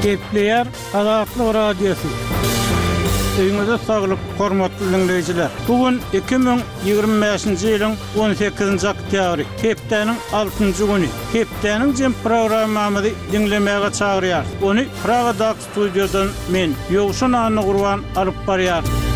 Gepleýär Azatlyk Radiosy. Öýüňize saglyk, hormatly diňleýjiler! Bu gün 2025-nji ýylyň 18-nji oktýabry, hepdäniň altynjy güni. Hepdäniň jem programmamyzy diňlemäge çagyrýarys. Ony Pragadaky studiýadan men, Ýowşan Annagurban alyp barýaryn.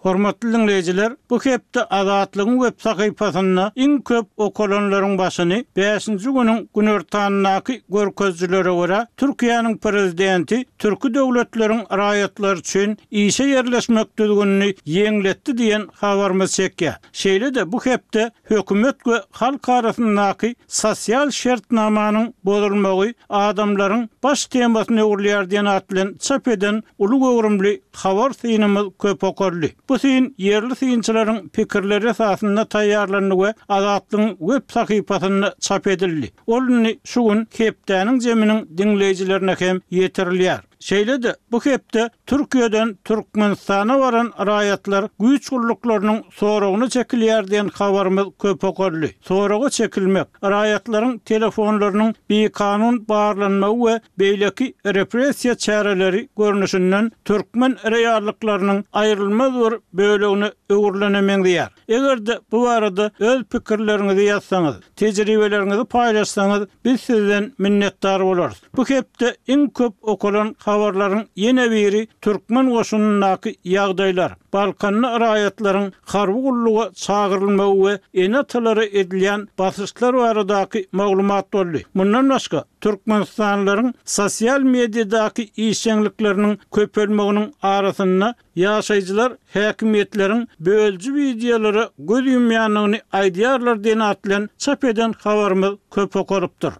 Hormatly diňleýjiler, bu hepde Azatlygyň web sahypasynda iň köp okalanlaryň başyny bäşinji günüň günortanyndaky görkezijilere görä, Türkiýäniň Prezidenti türki döwletleriň raýatlary üçin işe ýerleşmek düzgünini ýeňletdi diýen habarymyz çekýär. Şeýle-de bu hepde hökümet we halk arasyndaky sosial şertnamanyň bozulmagy adamlaryň baş temasyna öwrülýär diýen at bilen çap eden uly göwrümli habar synymyz köp okaldy. Bu syn ýerli synçylaryň pikirleri esasynda taýýarlandy we Azatlygyň web sahypasynda çap edildi. Ol indi şu gün hepdäniň jeminiň diňleýjilerine hem ýetirilýär. Şeýle-de, bu hepde Türkiýeden Türkmenistana baran raýatlar güýç gulluklarynyň soragyna çekilýär diýen habarymyz köp okaldy. Soraga çekilmek, raýatlaryň telefonlarynyň bikanun barlanmagy we beýleki repressiýa çäreleri görnüşinden türkmen reallyklarynyň aýrylmaz bir bölegine öwrülene meňzeýär. Eger-de bu barada öz pikirleriňizi ýazsaňyz, tejribeleriňizi paýlaşsaňyz, biz sizden minnetdar bolarys. Bu hepde iň köp okalan habarlaryň ýene biri türkmen goşunyndaky ýagdaýlar, Balkanda raýatlaryň harby gulluga çagyrylmagy we ene-atalara edilýän basyşlar baradaky maglumat boldy. Mundan başga, türkmenistanlylaryň sosial mediadaky işjeňlikleriniň köpelmeginiň arasynda ýaşaýjylar häkimiýetleriň bölüji wideolara göz ýumýandygyny aýdýarlar diýen at bilen çap eden habarymyz köp okalypdyr.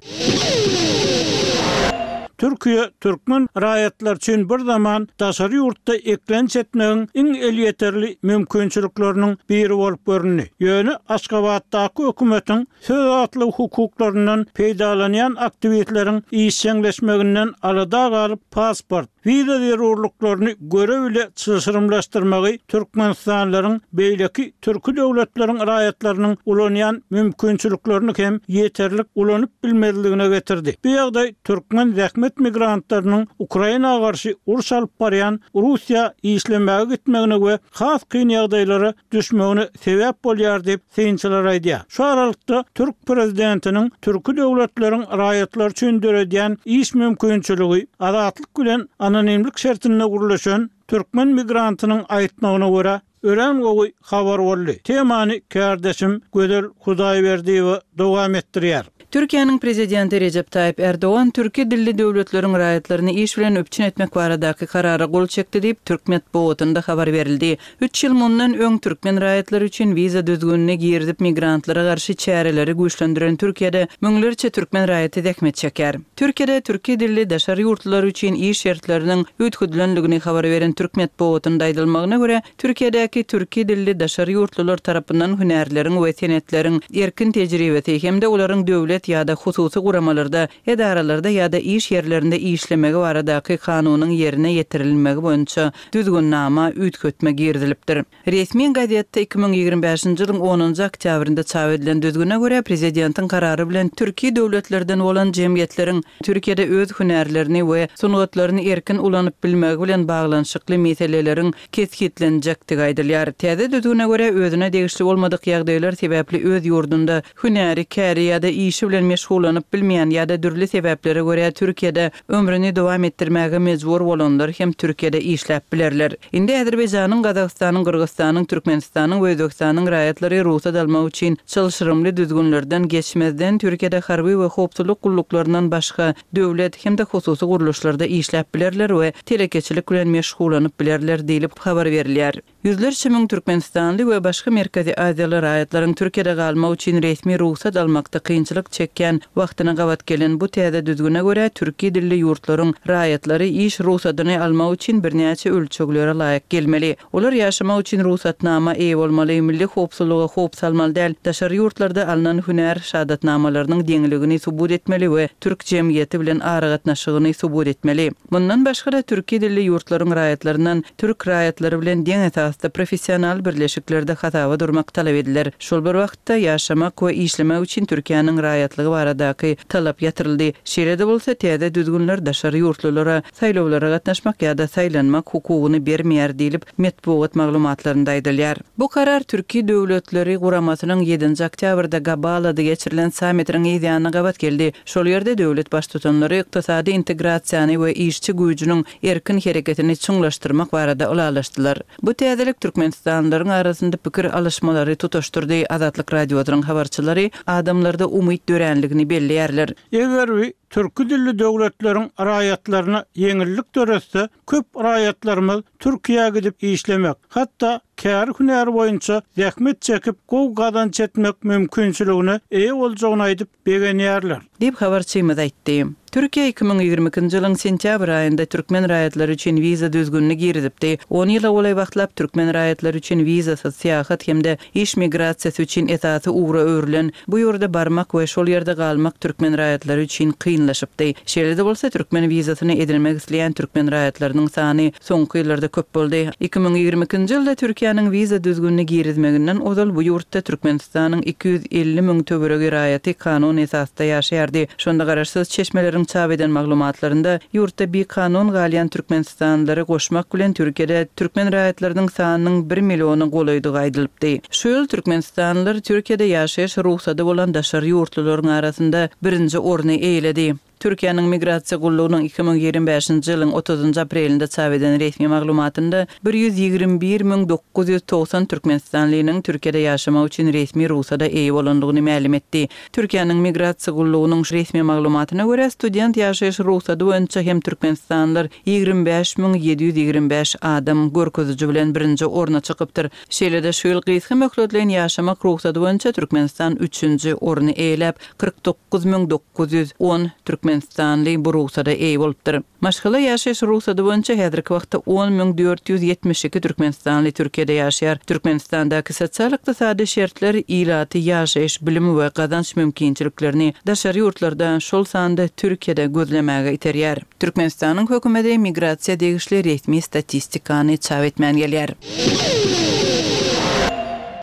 Türkiýe türkmen raýatlary üçin bir zaman daşary ýurtda eklenç etmegiň iň elýeterli mümkinçilikleriniň biri bolup göründi. Ýöne Aşgabatdaky hökümetiň söz azatlygy hukuklaryndan peýdalanýan aktiwistleriň işjeňleşmeginden alada galyp, pasport, wiza zerurlyklaryny göre-bile çylşyrymlaşdyrmagy türkmenistanlylaryň beýleki türki döwletleriň raýatlarynyň ulanýan mümkinçiliklerini hem ýeterlik ulanyp bilmezligine getirdi. Bu ýagdaý türkmen zähmet migrantlarynyň Ukraina garşy uruş alyp barýan Russiýa işlemäge gitmegine we has kyn ýagdaýlara düşmegine sebäp bolýar diýip, synçylar aýdýar. Şu aralykda, türk prezidentiniň türki döwletleriň raýatlary üçin döredýän iş mümkinçiligi Azatlyk bilen anonimlik şertinde gürleşen türkmen migrantynyň aýtmagyna görä, örän gowy habar boldy. Temany kärdeşim Gözel Hudaýberdiýewa dowam etdirýär. Türkiýäniň Prezidenti Rejep Taýyp Ärdogan türki dilli döwletleriň raýatlaryny iş bilen üpjün etmek baradaky karara gol çekdi diýip, türk metbugatynda habar berildi. Üç ýyl mundan öň türkmen raýatlary üçin wiza düzgünini girizip migrantlara garşy çäreleri güýçlendiren Türkiýede müňlerçe türkmen raýaty zähmet çekýär. Türkiýede türki dilli daşary ýurtlular üçin iş şertleriniň üýtgedilendigini habar beren türk metbugatynda aýdylmagyna görä, Türkiýedäki türki dilli daşary ýurtlular tarapyndan hünärleriň we senetleriň erkin tejribesi hem-de olaryň döwlet ýa-da hususy guramalarda, edaralarda ýa-da iş ýerlerinde işlemegi baradaky kanunyň ýerine ýetirilmegi boýunça Düzgünnama üýtgetme girizilipdir. Resmi gazetde 2025-nji ýylyň onunjy oktýabrynda çap edilen düzgüne görä, prezidentiň karary bilen türki döwletlerden bolan jemgyýetleriň Türkiýede öz hünärlerini we sungatlaryny erkin ulanyp bilmegi bilen baglanyşykly meseleleriň kesgitlenjekdigi aýdylýar. Täze düzgüne görä, özüne degişli bolmadyk ýagdaýlar sebäpli öz ýurdunda hünäri, käri ýa-da işi bilen meşgullanyp bilmeýän ýa-da dürli sebäplere görä Türkiýede ömrüni dowam etdirmäge mejbur bolanlar hem Türkiýede işläp bilerler. Indi Azerbaýjanyň, Gazagystanyň, Gyrgyzystanyň, Türkmenistanyň we Özbegistanyň raýatlary rugsat almak üçin çylşyrymly düzgünlerden geçmezden Türkiýede harby we howpsuzlyk gulluklaryndan başga döwlet hem-de hususy gurluşlarda işläp bilerler we telekeçilik bilen meşgullanyp bilerler diýlip habar berilýär. Ýüzlerçe müň türkmenistanly we başga Merkezi Aziýaly raýatlaryň Türkiýede galmak üçin resmi rugsat almakda kynçylyk çekýän wagtyna gabat gelen bu täze düzgüne görä, türki dilli ýurtlaryň raýatlary iş rugsadyny almak üçin birnäçe ölçeglere laýyk gelmeli. Olar ýaşamak üçin rugsatnama eýe bolmaly, milli howpsuzlyga howp salmaly däl, daşary ýurtlarda alnan hünär şahadatnamalarynyň deňligini subut etmeli we türk jemgyýeti bilen aragatnaşygyny subut etmeli. Mundan başga-da, türki dilli ýurtlaryň raýatlaryndan türk raýatlary bilen deň esasda. esasda professional birleşiklerde hasaba durmak talap ediler. Şol bir wagtda, ýaşamak we işlemek üçin Türkiýäniň raýatlygy baradaky talap ýatyryldy. Şeýle-de bolsa, täze düzgünler daşary ýurtlulara saýlawlara gatnaşmak ýa-da saýlanmak hukugyny bermeýär diýlip, metbugat maglumatlarynda aýdylýar. Bu karar Türki döwletleri guramasynyň ýedinji oktýabrda Gabalada geçirilen sammitiniň yz ýanyna gabat geldi. Şol ýerde döwlet Baştutanlary ykdysady integrasiýany we işçi güýjüniň erkin hereketini çuňlaşdyrmak barada ylalaşdylar. Bu täzelik türkmenistanlylaryň arasynda pikir alyşmalary tutaşdyrdy, Azatlyk Radiosynyň habarçylary adamlarda umyt döränligini belleýärler. Eger bi türki dilli döwletleriň raýatlaryna ýeňillik döretse, köp raýatlarymyz Türkiýä gidip işlemek, hatda käri-hünäri boýunça zähmet çekip gowy gazanç etmek mümkinçiligine eýe boljagyny aýdyp begenýärler. Diýip, habarçymyz aýtdy. Türkiýe 2022-nji ýylyň sentýabr aýynda türkmen raýatlary üçin wiza düzgünini girizipdi. On ýyla golaý wagtlap türkmen raýatlary üçin wizasyz syýahat hem-de iş migrasiýasy üçin esasy ugra öwrülen bu ýurda barmak we şol ýerde galmak türkmen raýatlary üçin kynlaşypdy. Şeýle-de bolsa, türkmen wizasyny edinmek isleýän türkmen raýatlarynyň sany soňky ýyllarda köp boldy. 2022-nji ýylda Türkiýäniň wiza düzgünini girizmeginden ozal bu ýurtda Türkmenistanyň 250 müň töweregi raýaty kanun esasda ýaşaýardy. Şonda garaşsyz çeşmeleriň çap eden maglumatlarynda ýurtda bikanun galýan türkmenistanlylary goşmak bilen Türkiýede türkmen raýatlarynyň sanynyň bir milliona golaýdygy aýdylypdy. Şu ýyl türkmenistanlylar Türkiýede ýaşaýyş rugsady bolan daşary ýurtlularyň arasynda birinji orny eýeledi. Türkiýäniň Migrasiýa gullugynyň 2025-nji ýylyň otuzynjy aprelinde çap eden resmi maglumatynda 121 990 türkmenistanlynyň Türkiýede ýaşamak üçin resmi rugsada eýe bolandygyny mälim etdi. Türkiýäniň Migrasiýa gullugynyň resmi maglumatyna görä, student ýaşaýyş rugsady boýunça hem türkmenistanlylar 25 725 adam görkeziji bilen birinji orna çykypdyr. Şeýle-de şu ýyl gysga möhletleýin ýaşamak rugsady boýunça Türkmenistan üçünji orny eýeläp, 49 910 türkmenistanly bu rugsada eýe bolupdyr. Maşgala ýaşaýyş rugsady boýunça häzirki wagtda 10 472 türkmenistanly Türkiýede ýaşaýar. Türkmenistandaky sosial-ykdysady şertler ilaty ýaşaýyş, bilim we gazanç mümkinçiliklerini daşary ýurtlarda, şol sanda Türkiýede gözlemäge iterýär. Türkmenistanyň hökümeti migrasiýa degişli resmi statistikany çap etmän gelýär.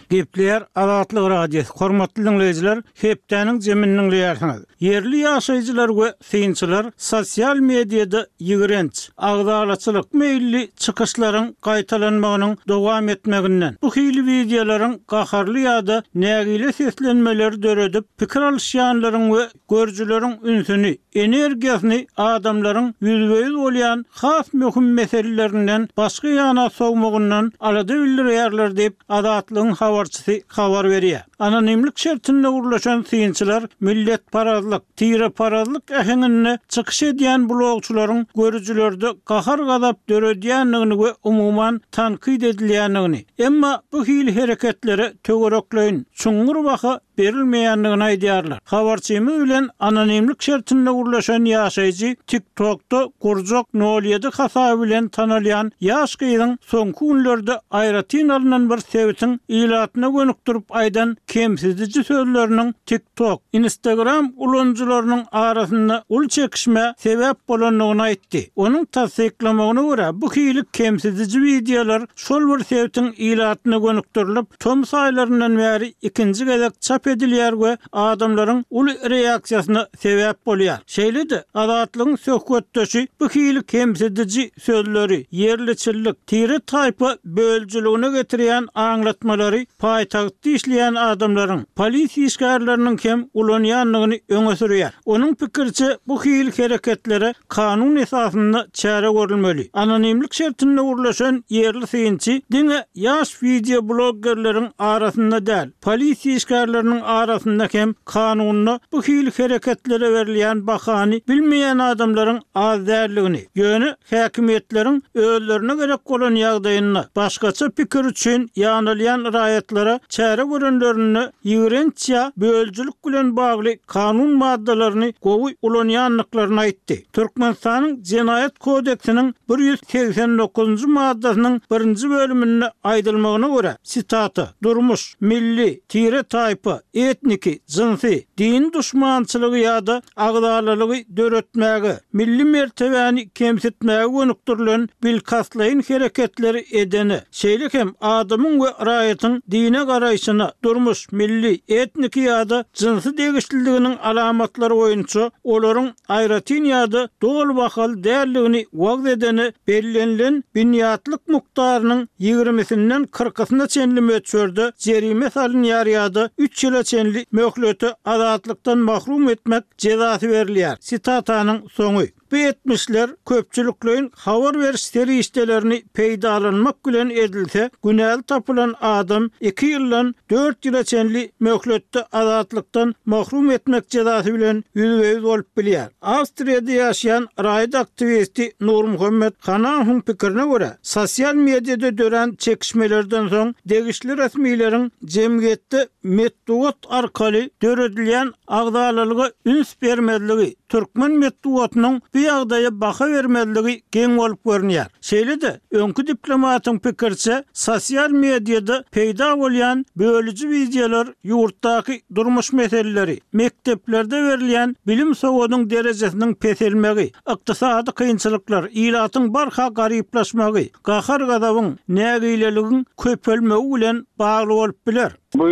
Gepleýär Azatlyk Radiosy, hormatly diňleýjiler, hepdäniň jemini diňleýärsiňiz. Ýerli ýaşaýjylar we synçylar sosial mediada ýigrenç, agzalaçylyk meýilli çykyşlaryň gaýtalanmagynyň dowam etmeginden, bu hili wideolaryň gaharly ýa-da nägile seslenmeleri döredip, pikir alyşýanlaryň we görüjileriň ünsüni, energiýasyny adamlaryň ýüzbe-ýüz bolýan has möhüm meselelerinden başga ýana sowmagyndan alada bildirýärler diýip, Azatlygyň habarçysy habar berýär. Anonimlik şertinde gürleşen synçylar milletparazlyk, tireparazlyk äheňinde çykyş edýän blogçylaryň görüjilerde gahar-gazap döredýändigini we umuman tankyt edilýändigini, emma bu hili hereketlere töwerekleýin, çuňňur baha berilmeýändigini aýdýarlar. Habarçymyz bilen anonimlik şertinde gürleşen ýaşaýjy TikTokda gurjak nol ýedi hasaby bilen tanalýan ýaş gyzyň soňky günlerde aýratyn alnan bir sebitiň ilatyna gönükdirip aýdan kemsidiji sözleriniň TikTok, Instagram ulanyjylarynyň arasynda uly çekişmä sebäp bolandygyny aýtdy. Onuň tassyklamagyna görä, bu hili kemsidiji wideolar şol bir sebitiň ilatyna gönükdirilip, tomus aýlaryndan bäri ikinji gezek çap edilýär we adamlaryň uly reaksiýasyna sebäp bolýar. Şeýle-de, Azatlygyň söhbetdeşi bu hili kemsidiji sözleri, ýerliçillik, tire-taýpa bölüjiligine getirýän aňlatmalary paýtagtda işleýän adamlaryň, polisiýa işgärleriniň hem ulanýandygyny öňe sürýär. Onuň pikiriçe, bu hili hereketlere kanun esasynda çäre görülmeli. Anonimlik şertinde gürleşen ýerli synçy diňe ýaş wideobloggerleriň arasynda däl, polisiýa işgärleriniň arasynda hem kanunda bu hili hereketlere berilýän bahany bilmeýän adamlaryň az däldigini, ýöne häkimiýetleriň özlerine gerek bolan ýagdaýynda başgaça pikir üçin ýanalýan raýatlara çäre görenlerinde ýigrenç ýa bölüjilik bilen bagly kanun maddalaryny gowy ulanýandyklaryny aýtdy. Türkmenistanyň Jenaýat kodeksiniň 189-njy maddasynyň birinji bölüminde aýdylmagyna görä, sitata, durmuş, milli, tire-taýpa, Etniki, jynsy, dini duşmançylygy ýa-da agzalalygy döretmäge, milli mertebäni kemsitmäge gönükdirilen bilkastlaýyn hereketleri edene, şeýle hem adamyň we raýatyň dine garaýşyna, durmuş, milli, etniki ýa-da jynsy degişliliginiň alamatlary boýunça olaryň aýratyn ýa-da doly bahaly däldigini wagyz edene bellenilen binýatlyk mukdarynyň ýigrimisinden kyrkysyna çenli möçberde jerime salynýar ýa-da üç ýyla çenli möhlete azatlykdan mahrum etmek jezasy berilýär. Sitatanyň soňy. Bu etmişler köpçülikleýin habar beriş serişdelerini peýdalanmak bilen edilse, günäli tapylan adam iki ýyldan dört ýyla çenli möhletde azatlykdan mahrum etmek jezasy bilen ýüzbe-ýüz bolup bilýär. Awstriýada ýaşaýan raýat aktiwisti Nurmuhammet Hanahowyň pikirine görä, sosial mediada dörän çekişmelerden soň degişli resmileriň jemgyýetde metbugat arkaly döredilýän agzalalyga üns bermezligi, türkmen metbugatynyň bu ýagdaýa baha bermezligi geň bolup görünýär. Şeýle-de, öňki diplomatyň pikiriçe, sosial mediada peýda bolýan bölüji wideolar ýurtdaky durmuş meseleleri, mekdeplerde berilýän bilim-sowadyň derejesiniň peselmegi, ykdysady kynçylyklar, ilatyň barha garyplaşmagy, gahar-gazabyň, nägileligiň köpelmegi bilen bagly bolup biler. Bu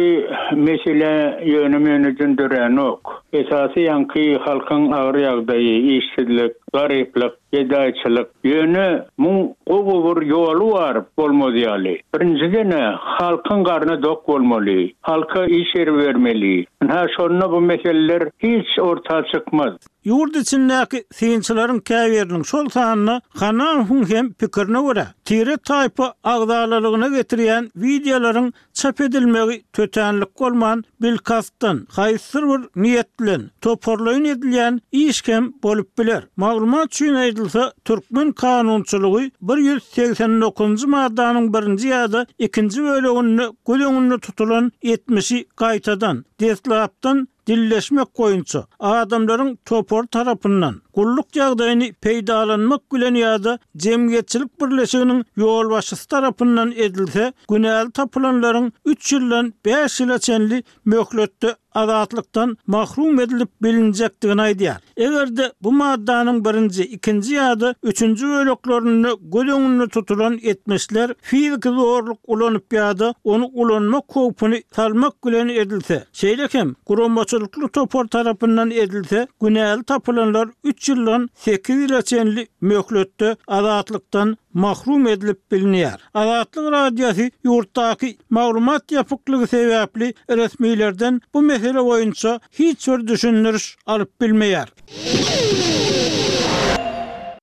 mesele ýöne-möneden döränok. Esasy ýaňky halkyň agyr ýagdaýy, işsizlik, garyplyk, gedaýçylyk. Ýöne muň gowy bir ýoly bar bolmaz ýaly. Birinjiden-ä halkyň garny dok bolmaly. Halka iş ýeri bermeli. Ynha şonda bu meseleler hiç orta çykmaz. Ýurt içindäki synçylaryň käbiriniň, şol sanda Hanahowyň hem pikirine görä, tire-taýpa agzalalygyna getirýän wideolaryň çap edilmegi tötänlik bolman, bilkastdan, haýsydyr bir niýet bilen, toparlaýyn edilýän iş hem bolup biler. Maglumat üçin aýdylsa, türkmen kanunçylygy 189-njy maddanyň birinji ýa-da ikinji böleginde göz öňünde tutulan etmişi gaýtadan, deslapdan dilleşmek boýunça adamlaryň topary tarapyndan gulluk ýagdaýyny peýdalanmak bilen ýa-da jemgyýetçilik birleşiginiň ýolbaşçysy tarapyndan edilse, günäli tapylanlaryň üç ýyldan bäş ýyla çenli möhletde azatlykdan mahrum edilip bilinjekdigini aýdýar. Eger-de bu maddanyň birinji, ikinji ýa-da üçünji böleklerinde göz öňünde tutulan etmişler fiziki zorluk ulanyp ýa-da ony ulanmak howpuny salmak bilen edilse, şeýle hem guramaçylykly topar tarapyndan edilse, günäli tapylanlar üç ýyldan sekiz ýyla çenli möhletde azatlykdan mahrum edilip bilinýär. Azatlyk Radiosy ýurtdaky maglumat ýapyklygy sebäpli resmilerden bu mesele boýunça hiç bir düşündiriş alyp bilmeýär.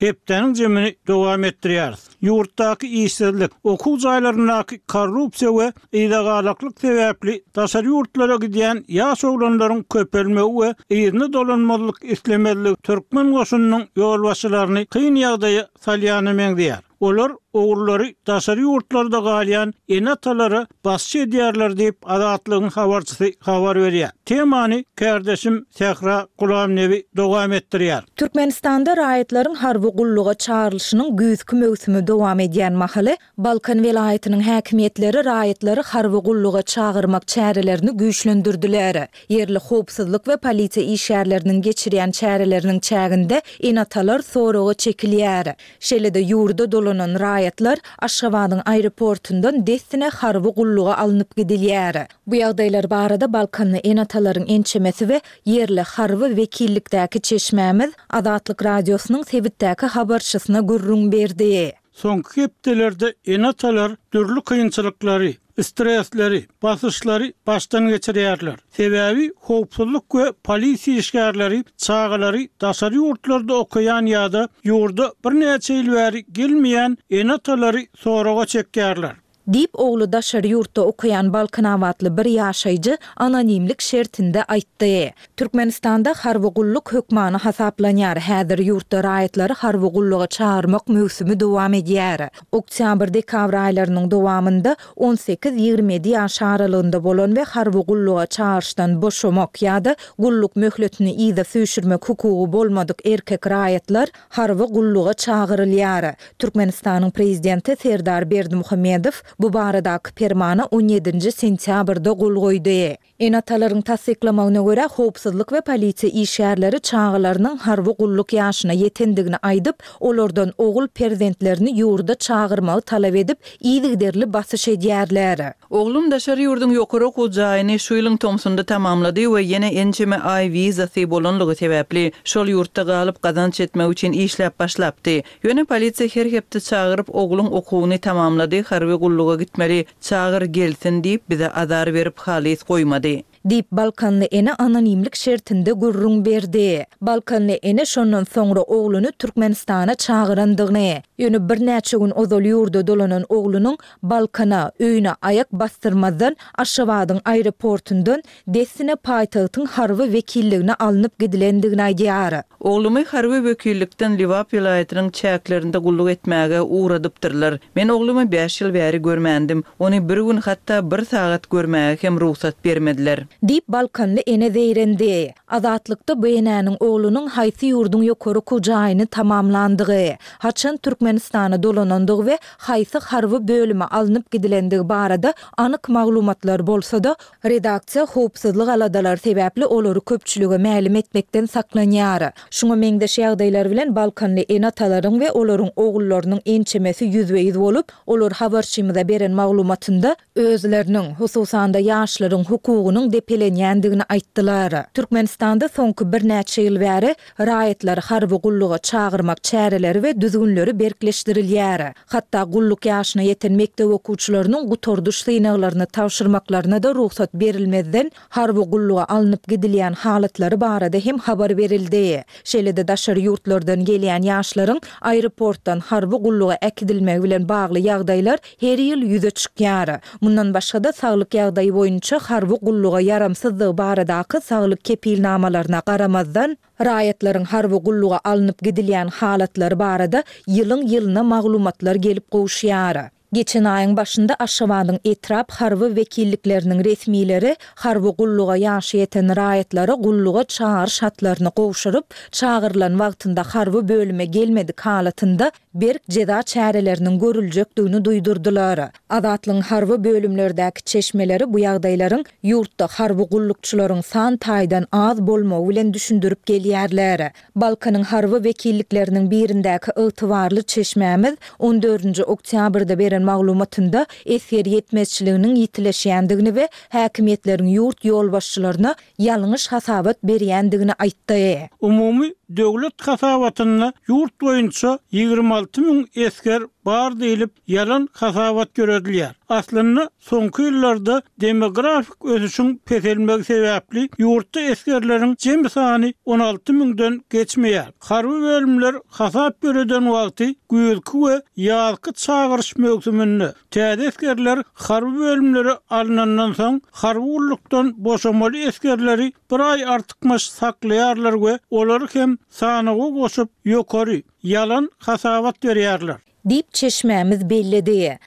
Hepdäniň jemini dowam etdirýäris. Ýurtdaky işsizlik, okuw jaýlaryndaky korrupsiýa we yzagalaklyk sebäpli daşary ýurtlara gidýän ýaş oglanlaryň köpelmegi we yzyna dolanmazlyk islemezligi türkmen goşunynyň ýolbaşçylaryny kyn ýagdaýa salýana meňzeýär. Olar ogullary daşary ýurtlarda galýan ene-atalara basçy edýärler diýip, Azatlygyň habarçysy habar berýär. Temany kärdeşim Sähra Gulamnebi dowam etdirýär. Türkmenistanda raýatlaryň harby gulluga çagyrylyşynyň güýzki möwsümi dowam edýän mahaly, Balkan welaýatynyň häkimiýetleri raýatlary harby gulluga çagyrmak çärelerini güýçlendirdiler. Ýerli howpsuzlyk we polisiýa işgärleriniň geçirýän çäreleriniň çäginde ene-atalar soraga çekilýär. Şeýle-de ýurda dolanan raýatlar Aşgabadyň aeroportundan dessine harby gulluga alnyp gidilýär. Bu ýagdaýlar barada balkanly ene-atalaryň ençemesi we ýerli harby wekillikdäki çeşmämiz Azatlyk Radiosynyň sebitdäki habarçysyna gürrüň berdi. Soňky hepdelerde ene-atalar dürli kynçylyklary, stresleri, basyşlary başdan geçirýärler. Sebäbi howpsuzlyk we polisiýa işgärleri çagalary daşary ýurtlarda okaýan ýa-da ýurda birnäçe ýyl bäri gelmeýän ene-atalary soraga çekýärler. Diýip, ogly daşary ýurtda okaýan balkanabatly bir ýaşaýjy anonimlik şertinde aýtdy. Türkmenistanda harby gulluk hökmany hasaplanýar. Häzir ýurtda raýatlary harby gulluga çagyrmak möwsümi dowam edýär. Oktýabr-dekabr aýlarynyň dowamynda on sekiz-ýigrimi ýedi ýaş aralygynda bolan we harby gulluga çagyryşdan boşamak ýa-da gulluk möhletini yza süýşürmek hukugy bolmadyk erkek raýatlar harby gulluga çagyrylýar. Türkmenistanyň Prezidenti Serdar Berdimuhamedow bu baradaky permana on ýedinji sentýabrda gol goýdy. Ene-atalaryň tassyklamagyna görä, howpsuzlyk we polisiýa işgärleri çagalarynyň harby gulluk ýaşyna ýetendigini aýdyp, olardan ogul perzentlerini ýurda çagyrmagy talap edip, yzygiderli basyş edýärler. Oglum daşary ýurduň ýokary okuw jaýyny şu ýylyň tomsunda tamamlady we ýene ençeme aý wizasy bolanlygy sebäpli, şol ýurtda galyp gazanç etmek üçin işläp başlapdy. Ýöne polisiýa her hepde çagyryp ogluň okuwyny tamamlady, harby gulluga gitmeli, çagyr gelsin diýip bize azar berip halys goýmady. Diýip, balkanly ene anonimlik şertinde gürrüň berdi. Balkanly ene şondan soňra ogluny Türkmenistana çagyrandygyny, ýöne birnäçe gün ozal ýurda dolanan oglunyň Balkana, öýüne aýak basdyrmazdan Aşgabadyň aeroportundan dessine paýtagtyň harby wekilligine alnyp gidilendigini aýdýar. Oglumy harby wekillikden Lebap welaýatynyň çäklerinde gulluk etmäge ugradypdyrlar. Men oglumy bäş ýyl bäri görmändim. Ony bir gün, hatda bir sagat görmäge hem rugsat bermediler. Diýip, balkanly ene zeýrendi. Azatlykda bu enäniň oglunyň haýsy ýurduň ýokary okuw jaýyny tamamlandygy, haçan Türkmenistana dolanandygy we haýsy harby bölüme alnyp gidilendigi barada anyk maglumatlar bolsa-da, Redaksiýa howpsuzlyk aladalary sebäpli olary köpçülige mälim etmekden saklanýar. Şuňa meňzeş ýagdaýlar bilen balkanly ene-atalaryň we olaryň ogullarynyň ençemesi ýüzbe-ýüz bolup, olar habarçymyza beren maglumatynda özleriniň, hususan-da ýaşlaryň hukugynyň depelenýändigini aýtdylar. Türkmenistanda soňky birnäçe ýyl bäri Raýatlary harby gulluga çagyrmak çäreleri we düzgünleri berkleşdirilýär. Hatda gulluk ýaşyna ýeten mekdep okuwçylarynyň gutardyş synaglaryny tabşyrmaklaryna-da rugsat berilmezden, harby gulluga alnyp gidilýän halatlary barada hem habar berildi. Şeýle-de daşary ýurtlardan gelýän ýaşlaryň aeroportdan harby gulluga äkidilmegi bilen bagly ýagdaýlar her ýyl ýüze çykýar. Mundan başga-da, saglyk ýagdaýy boýunça harby gulluga ýaramsyzdygy baradaky saglyk kepilnamalaryna garamazdan, raýatlaryň harby gulluga alnyp gidilýän halatlary barada ýylyň-ýylyna maglumatlar gelip gowuşýar. Geçen aýyň başynda Aşgabadyň etrap harby wekillikleriniň resmileri harby gulluga ýaşy ýeten raýatlara gulluga çagyryş hatlaryny gowşuryp, çagyrylan wagtynda harby bölüme gelmedik halatynda berk jeza çäreleriniň görüljekdigini duýdurdylar. Azatlygyň harby bölümlerdäki çeşmeleri bu ýagdaýlaryň ýurtda harby gullukçylaryň san taýdan az bolmagy bilen düşündirip gelýärler. Balkanyň harby wekillikleriniň birindäki ygtybarly çeşmämiz on dördünji oktýabrda beren maglumatynda esger ýetmezçiliginiň ýitileşýändigini we häkimiýetleriň ýurt ýolbaşçylaryna ýalňyş hasabat berýändigini aýtdy. Umumy döwlet hasabatynda ýurt boýunça 26 müň esger bar diýlip, ýalan hasabat ýöredilýär. Aslynda, soňky ýyllarda demografik ösüşiň peselmegi sebäpli ýurtda esgerleriň jemi sany 16 müňden geçmeýär. Harby bölümler hasap ýöreden wagty güýzki we ýazky çagyryş möwsüminde Täze esgerler harby bölümlere alnandan soň, harby gullukdan boşamaly esgerleri bir aý artykmaç saklaýarlar we olary hem sanawa goşup, ýokary, ýalan hasabat berýärler. Diýip, çeşmämiz belledi.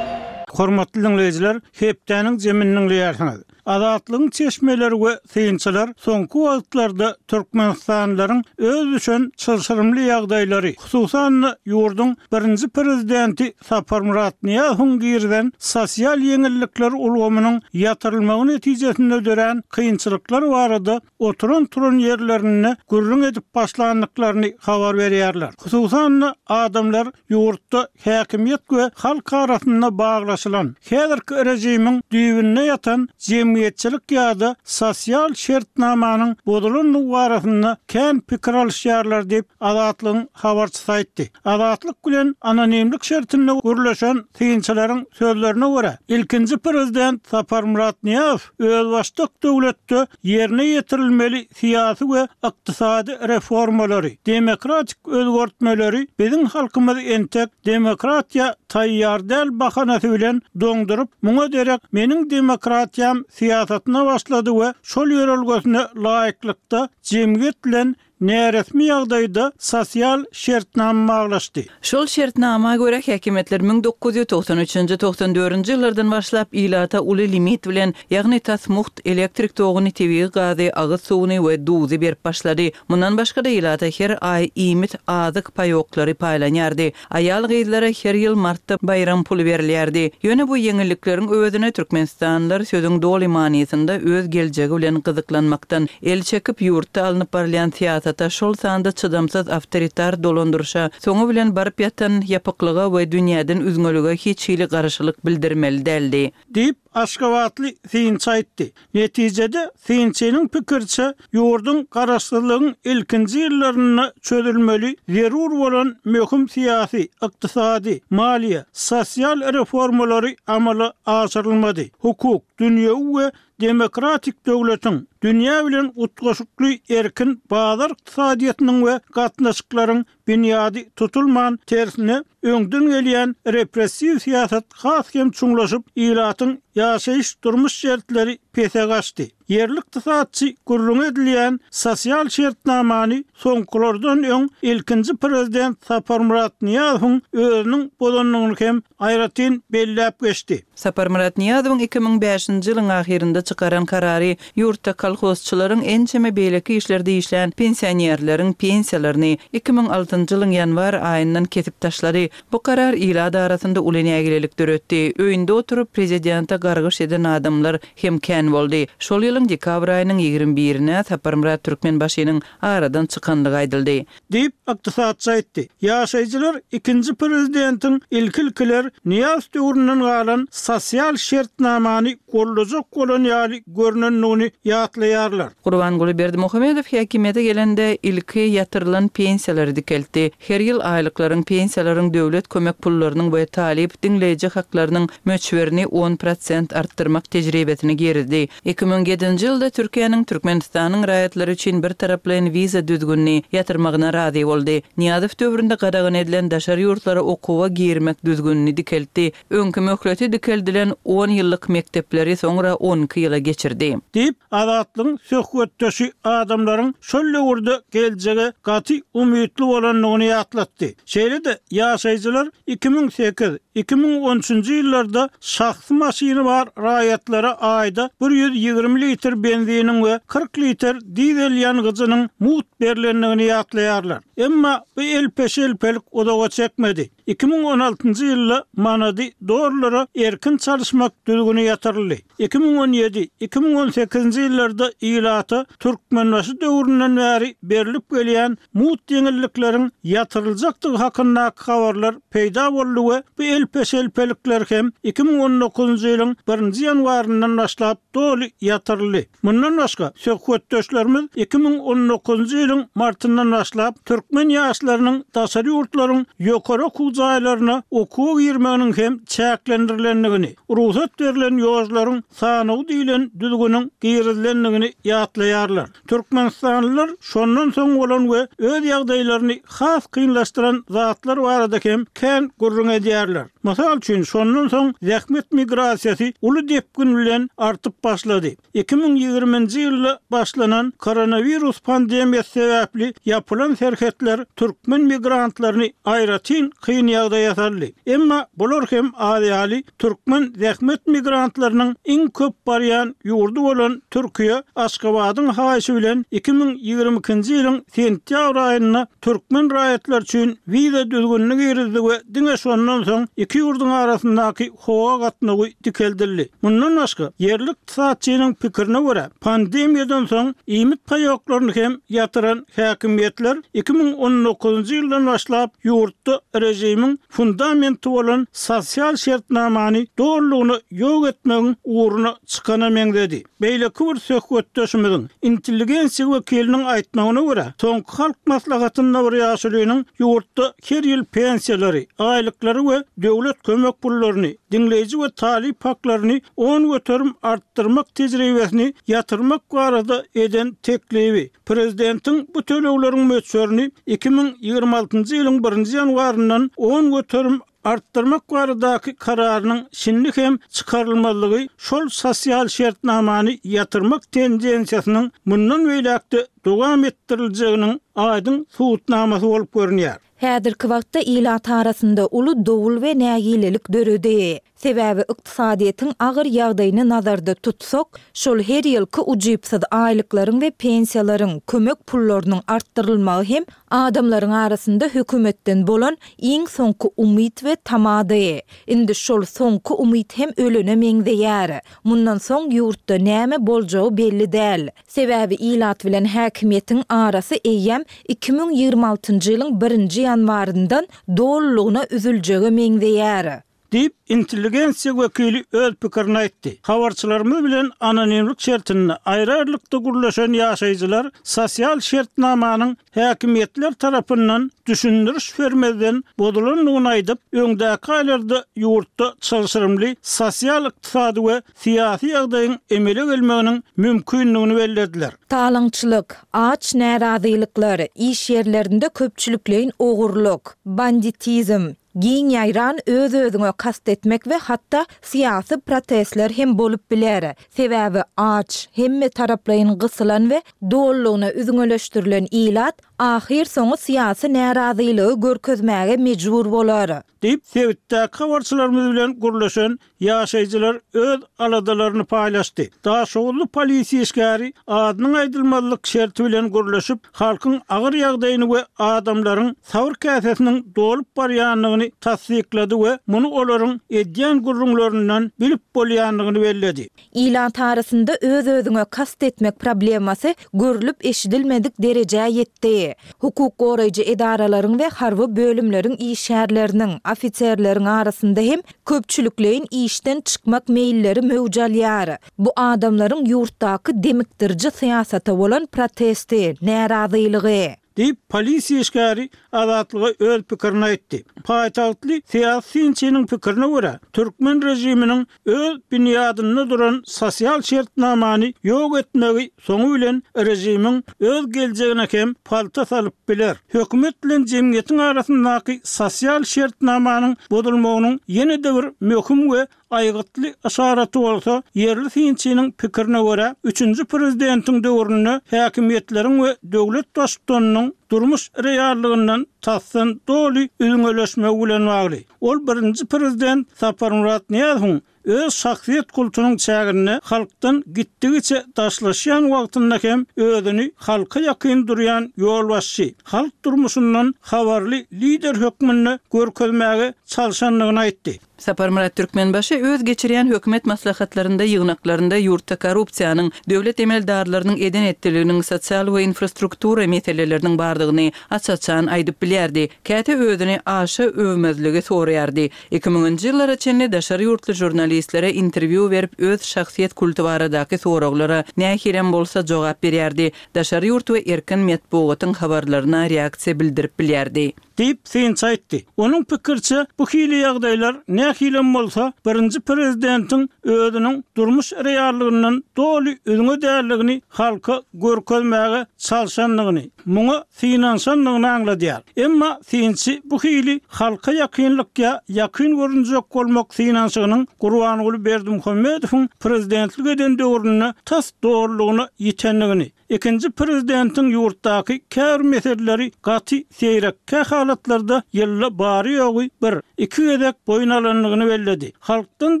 Hormatly diňleýjiler, hepdäniň jemini diňleýärsiňiz. Azatlygyň çeşmeleri we synçylar soňky wagtlarda türkmenistanlylaryň öz düşen çylşyrymly ýagdaýlary, hususan-da, ýurduň birinji prezidenti Saparmyrat Nyýazowyň girizen sosial ýeňillikler ulgamynyň ýatyrylmagy netijesinde dörän kynçylyklar barada oturan-turan ýerlerinde gürrüň edip başlandyklaryny habar berýärler. Hususan-da, adamlar ýurtda häkimiýet we halk arasynda baglaşylan, häzirki režimiň düýbünde ýatan jemgyýetçilik ýa-da sosial şertnamanyň bozulandygy barasynda kän pikir alyşýarlar diýip, Azatlygyň habarçysy aýtdy. Azatlyk bilen anonimlik şertinde gürleşen synçylaryň sözlerine görä, ilkinji prezident Saparmyrat Nyýazow özbaşdak döwletde ýerine ýetirilmeli syýasy we ykdysady reformalary, demokratik özgertmeleri biziň halkymyz entek demokratiýa taýýar däl bahanasy bilen doňduryp, muňa derek meniň demokratiýam syýasatyna başlady we şol ýörelgesine laýyklykda jemgyýet bilen. näresmi ýagdaýda sosial şertnama baglaşdy. Şol şertnama görä, häkimiýetler 1993-nji, 94-nji ýyllardan başlap ilata uly limit bilen, ýagny tas mugt elektrik toguny, tebigy gazy, agyz suwuny we duzy berip başlady. Mundan başga-da ilata her aý iýmit, azyk paýoklary paýlanýardy. Aýal-gyzlara her ýyl martda baýram puly berilýärdi. Ýöne bu ýeňillikleriň öwezine türkmenistanlylar sözüň doly manysynda öz geljegi bilen gyzyklanmakdan el çekip, ýurtda alnyp barylýan syýasata, şol sanda çydamsyz awtoritar dolandyryşa, soňy bilen baryp ýatan ýapyklyga we dünýäden üzňelige hiç hili garşylyk bildirmeli däldi. Diýip, aşgabatly synçy aýtdy. Netijede, synçynyň pikiriçe, ýurduň garaşsyzlygyň ilkinji ýyllarynda çözülmeli zerur bolan möhüm syýasy, ykdysady, maliýe, sosial reformalary amala aşyrylmady, hukuk, dünýewi we demokratik döwletiň, dünýä bilen utgaşykly erkin bazar ykdysadyýetiniň we gatnaşyklaryň binýady tutulman, tersine, öňden gelýän repressiw syýasat has hem çuňlaşyp, ilatyň ýaşaýyş-durmuş şertleri pese gaçdy. Ýerli ykdysatçy gürrüňi edilýän sosial şertnamany soňkulardan öň ilkinji prezident Saparmyrat Nyýazowyň özüniň bozandygyny hem aýratyn belläp geçdi. Saparmyrat Nyýazowyň 2005-nji ýylyň ahyrynda çykaran karary ýurtda kolhozçylaryň, ençeme beýleki işlerde işlän pensionerleriň pensiýalaryny 2006-njy ýylyň ýanwar aýyndan kesip taşlady. Bu karar ilat arasynda uly nägilelik döretdi. Öýünde oturyp, prezidente gargyş eden adamlar hem kän boldy. Şol ýylyň dekabr aýynyň ýigrimi birine Saparmyrat Türkmenbaşynyň aradan çykandygy aýdyldy. Diýip, ykdysatçy aýtdy. Ýaşaýjylar ikinji prezidentiň ilki-ilkiler Nyýazow döwründen galan sosial şertnamany goldajak bolan ýaly görnendigini ýatlaýarlar. Gurbanguly Berdimuhamedow häkimiýete gelende, ilki ýatyrylan pensiýalary dikeltdi. Her ýyl aýlyklaryň, pensiýalaryň, döwlet kömek pullarynyň we talyp, diňleýji haklarynyň möçberini 10 prosent artdyrmak tejribesini girizdi. 2007-nji ýylda Türkiýäniň Türkmenistanyň raýatlary üçin birtaraplaýyn wiza düzgünini ýatyrmagyna razy boldy. Nyýazow döwründe gadagan edilen daşary ýurtlara okuwa girmek düzgünini dikeltdi. Öňki möhleti dikeldilen on ýyllyk mekdepleri soňra on iki ýyla geçirdi. Diýip, Azatlygyň söhbetdeşi adamlaryň şol döwürde geljege gaty umytly bolandygyny ýatlatdy. Şeýle-de, ýaşaýjylar 2008, 2013-nji ýyllarda şahsy maşyny bar raýatlara aýda 120 litr benziniň we 40 litr dizel ýangyjynyň mugt berlendigini ýatlaýarlar. Emma bu elpe-şelpelik uzaga çekmedi. 2016-njy ýylda manady dollara erkin çalyşmak düzgüni ýatyryldy. 2017, 2018-nji ýyllarda ilata Türkmenbaşy döwründen bäri berlip gelýän mugt ýeňillikleriň ýatyryljakdygy hakyndaky habarlar peýda boldy we bu elpe-şelpelikler hem 2019-njy ýylyň birinji ýanwaryndan başlap doly ýatyryldy. Mundan başga, söhbetdeşlerimiz 2019-njy ýylyň martyndan başlap türkmen ýaşlarynyň daşary ýurtlaryň ýokary okuw jaýlaryna okuwa girmeginiň hem çäklendirilendigini, rugsat berlen ýožlaryň sanawy diýlen düzgüniň girizilendigini ýatlaýarlar. Türkmenistanlylar şondan soň bolan we öz ýagdaýlaryny has kynlaşdyran zatlar barada hem kän gürrüň edýärler. Mysal üçin, şondan soň zähmet migrasiýasy uly depgin bilen artyp başlady. 2020-nji ýylda başlanan koronawirus pandemiýasy sebäpli ýapylan serhetler türkmen migrantlaryny aýratyn kyn ýagdaýa saldy. Emma bular hem az ýaly, türkmen zähmet migrantlarynyň iň köp barýan ýurdy bolan Türkiýe Aşgabadyň haýyşy bilen 2022-nji ýylyň sentýabr aýynda türkmen raýatlary üçin wiza düzgünini girizdi we diňe şondan soň iki ýurduň arasyndaky howa gatnawy dikeldildi. Mundan başga, ýerli ykdysatçynyň pikirine görä, pandemiýadan soň iýmit paýoklaryny hem ýatyran häkimiýetler 2019-njy ýyldan başlap ýurtda režimiň fundamenti bolan sosial şertnamany dolulygyna ýok etmegiň ugruna çykana meňzedi. Beýleki bir söhbetdeşimiziň, intelligensiýa wekiliniň aýtmagyna görä, soňky Halk Maslahatynda bir ýaşulynyň ýurtda her ýyl pensiýalary, aýlyklary we döwlet kömek pullaryny, diňleýji we talyp haklaryny 10% artdyrmak tejribesini ýatyrmak barada eden teklibi, prezidentiň bu tölegleriň möçberini 2026-njy ýylyň birinji ýanwaryndan 10%. artdyrmak baradaky kararynyň şindi hem çykarylmazlygy şol sosial şertnamany ýatyrmak tendensiýasynyň mundan beýläk-de dowam etdiriljeginiň aýdyň subutnamasy bolup görünýär. Häzirki wagtda ilat arasynda uly dowul we nägilelik döredi. Sebäbi ykdysadyýetiň agyr ýagdaýyny nazarda tutsak, şol her ýylky ujypsyz aýlyklaryň we pensiýalaryň, kömek pullarynyň artdyrylmagy hem adamlaryň arasynda hökümetden bolan iň soňky umyt we tamady. Indi şol soňky umyt hem ölene meňzeýär. Mundan soň ýurtda näme boljagy belli däl. Sebäbi ilat bilen häkimiýetiň arasy eýýäm 2026-njy ýylyň birinji ýanwaryndan dolulygyna üzüljege meňzeýär. Diýip, intelligensiýa wekili öz pikirini aýtdy. Habarçylarymyz bilen anonimlik şertinde aýry-aýrylykda gürleşen ýaşaýjylar sosial şertnamanyň häkimiýetler tarapyndan düşündiriş bermezden bozulandygyny aýdyp, öňdäki aýlarda ýurtda çylşyrymly sosial-ykdysady we syýasy ýagdaýyň emele gelmeginiň mümkindigini bellediler. Talaňçylyk, aç närazylyklar, iş ýerlerinde köpçülikleýin ogurlyk, banditizm, Giň ýaýran öz-özüňe kast etmek we hatda syýasy protestler hem bolup biler. Sebäbi aç, hemmetaraplaýyn gysylan we dolulygyna üzňeleşdirilen ilat ahyrsoňy syýasy närazylygy görkezmäge mejbur bolar. Diýip, sebitdäki habarçylarymyz bilen gürleşen Ýaşaýjylar öz aladalaryny paýlaşdy. Daşoguzly polisiýa işgäri adynyň aýdylmazlyk şerti bilen gürleşip, halkyň agyr ýagdaýyny we adamlaryň sabyr käsesiniň dolup barýandygyny tassyklady we muny olaryň edýän gürrüňlerinden bilip bolýandygyny belledi. Ilat arasynda öz-özüňe kast etmek problemasy görlüp-eşidilmedik derejä ýetdi. Hukuk goraýjy edaralaryň we harby bölümleriň işgärleriniň, ofiserleriň arasynda hem Köpçülikleýin işden çykmak meýilleri möwç alýar. Bu adamlaryň ýurtdaky demikdiriji syýasata bolan protesti, närazylygy. Diýip, polisiýa işgäri Azatlyga öz pikirini aýtdy. Paýtagtly syýasy synçynyň pikirine görä, türkmen režiminiň öz binýadynda duran sosial şertnamany ýok etmegi soňy bilen režimiň öz geljegine hem palta salyp biler. Hökümet bilen jemgyýetiň arasyndaky sosial şertnamanyň bozulmagynyň ýene-de bir möhüm we aýgytly yşaraty bolsa, ýerli synçynyň pikirine görä, üçünji prezidentiň döwründe häkimiýetleriň we döwlet baştutanynyň durmuş reallygyndan tasdan doly üzňeleşmegi bilen bagly. Ol birinji prezident Saparmyrat Nyýazowyň öz şahsyýet kultunyň çäginde halkdan gitdigiçe daşlaşýan wagtynda hem özüni halka ýakyn durýan ýolbaşçy, halk durmuşyndan habarly lider hökmünde görkezmäge çalşandygyny aýtdy. Saparmyrat Türkmenbaşy öz geçirýän hökümet maslahatlarynda, ýygnaklarynda ýurtda korrupsiýanyň, döwlet emeldarlarynyň eden-etdiliginiň, sosial we infrastruktura meseleleriniň bardygyny aç-açan aýdyp bilýärdi. Käte özüni aşa öwmezligi soraýardy. Iki müňünji ýyllara çenli daşary ýurtly žurnalistlere interwýu berip öz şahsyýet kulty baradaky soraglara nähilem bolsa jogap berýärdi, daşary ýurt we erkin metbugatyň habarlaryna reaksiýa bildirip bilýärdi. Diýip, synçy aýtdy. Onuň pikiriçe, bu hili ýagdaýlar nähilem bolsa birinji prezidentiň özüniň durmuş reallygyndan doly üzňe däldigini halka görkezmäge çalşandygyny, muňa synanyşandygyny aňladýar. Emma synçy bu hili halka ýakynlyk ýa ýakyn görünjek bolmak synanyşygynyň Gurbanguly Berdimuhamedowyň prezidentlik eden döwründe tas dolulygyna ýitendigini, ikinji prezidentiň ýurtdaky käbir meseleleri gaty seýrek, kähalatlarda ýylda bary-ýogy bir, iki gezek boýun alandygyny belledi. Halkdan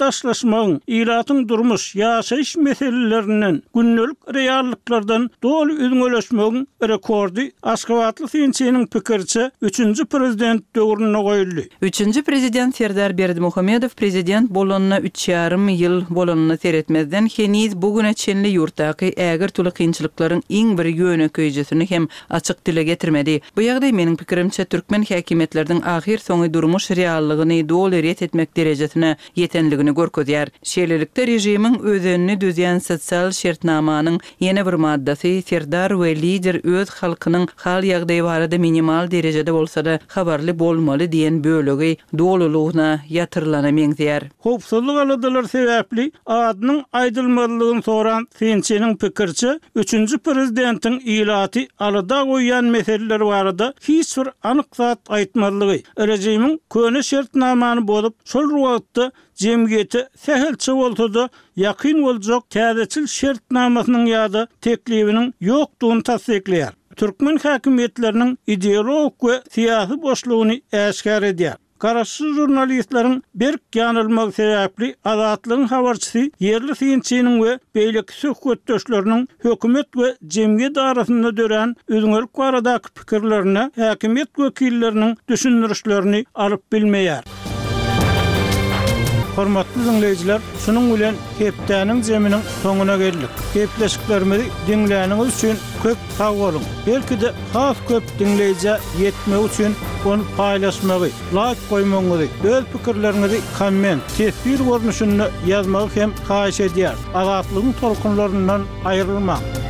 daşlaşmagyň, ilatyň durmuş, ýaşaýyş meselelerinden, gündelik reallyklardan doly üzňeleşmegiň rekordy aşgabatly synçynyň pikiriçe, üçünji prezident döwründe goýuldy. Üçünji prezident Serdar Berdimuhamedow prezident bolanyna üç ýarym ýyl bolanyna seretmezden, heniz bu güne çenli ýurtdaky ägirt uly kynçylyklaryň iň bir ýönekeýjesini hem açyk dile getirmedi. Bu ýagdaý, meniň pikirimçe, türkmen häkimiýetleriniň ahyrsoňy durmuş reallygyny doly ret etmek derejesine ýetenligini görkezýär. Şeýlelikde, režimiň özenini düzýän sosial şertnamanyň ýene bir maddasy, serdar we lider öz halkynyň hal-ýagdaýy barada minimal derejede bolsa-da habarly bolmaly diýen bölegi dolulygyna ýatyrylana meňzeýär. Howpsuzlyk aladalary sebäpli adynyň aýdylmazlygyny soran synçynyň pikiriçe, üçünji. prezidentiň ilaty alada goýýan meseleler barada hiç bir anyk zat aýtmazlygy, režimiň köne şertnamany bozup, şol bir wagtda jemgyýete sähelçe bolsa-da ýakyn boljak täzeçil şertnamasynyň ýa-da teklibiniň ýokdugyny tassyklaýar. Türkmen häkimiýetleriniň ideologik we syýasy boşlugyny äşgär edýär. Garaşsyz žurnalistleriň berk ýanylmagy sebäpli Azatlygyň habarçysy ýerli synçynyň we beýleki söhbetdeşleriniň hökümet we jemgyýet arasynda dörän üzňelik baradaky pikirlerine häkimiýet wekilleriniň düşündirişlerini alyp bilmeýär. Hormatly diňleýjiler, şunuň bilen hepdäniň jeminiň soňuna geldik. Gepleşiklerimizi diňläniňiz üçin köp sag boluň! Belki-de has köp diňleýjä ýetmegi üçin ony paýlaşmagy, laýk goýmagyňyzy, öz pikirleriňizi komment, teswir görnüşinde ýazmagy hem haýyş edýäris. Azatlygyň tolkunlaryndan aýrylmaň!